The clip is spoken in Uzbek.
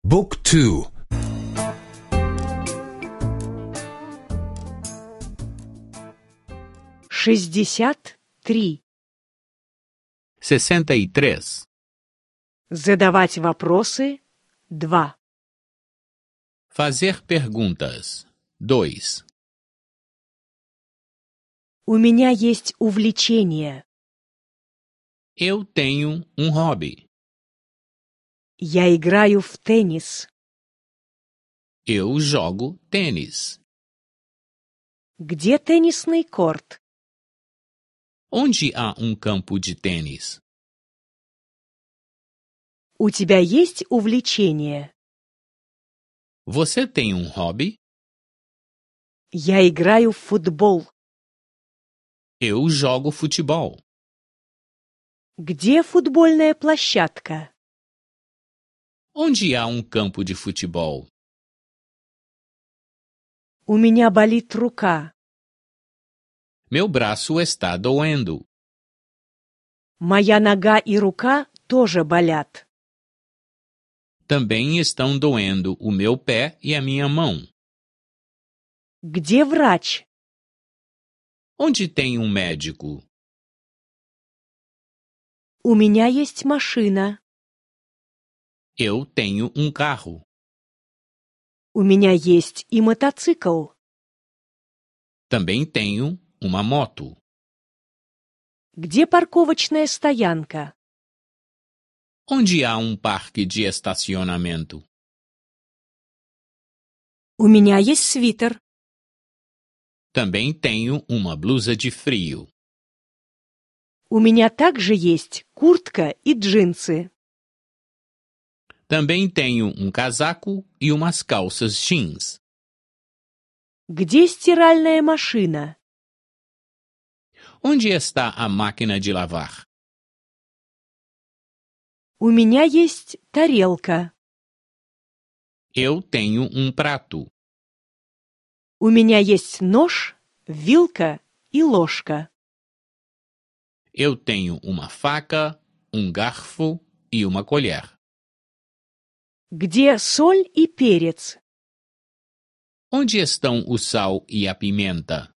Book 2. 63. 63. Задавать вопросы 2. Fazer perguntas 2. У меня есть увлечение. Eu tenho um hobby. Я играю в теннис. Eu jogo tênis. Где теннисный корт? Onde há um campo de tênis? У тебя есть увлечение? Você tem um hobby? Я играю в футбол. Eu jogo futebol. Где футбольная площадка? Onde há um campo de futebol? У меня болит рука. Meu braço está doendo. Моя нога и рука тоже болят. Também estão doendo o meu pé e a minha mão. Где врач? Onde tem um médico? У меня есть машина. Eu tenho um carro. У меня есть и мотоцикл. Também tenho uma moto. Где парковочная стоянка? Onde há um parque de estacionamento? У меня есть свитер. Também tenho uma blusa de frio. У меня также есть куртка и джинсы. Também tenho um casaco e umas calças jeans. Где стиральная машина? Onde está a máquina de lavar? У меня есть тарелка. Eu tenho um prato. У меня есть нож, вилка и ложка. Eu tenho uma faca, um garfo e uma colher. Где соль и перец? Onde estão o sal e a pimenta?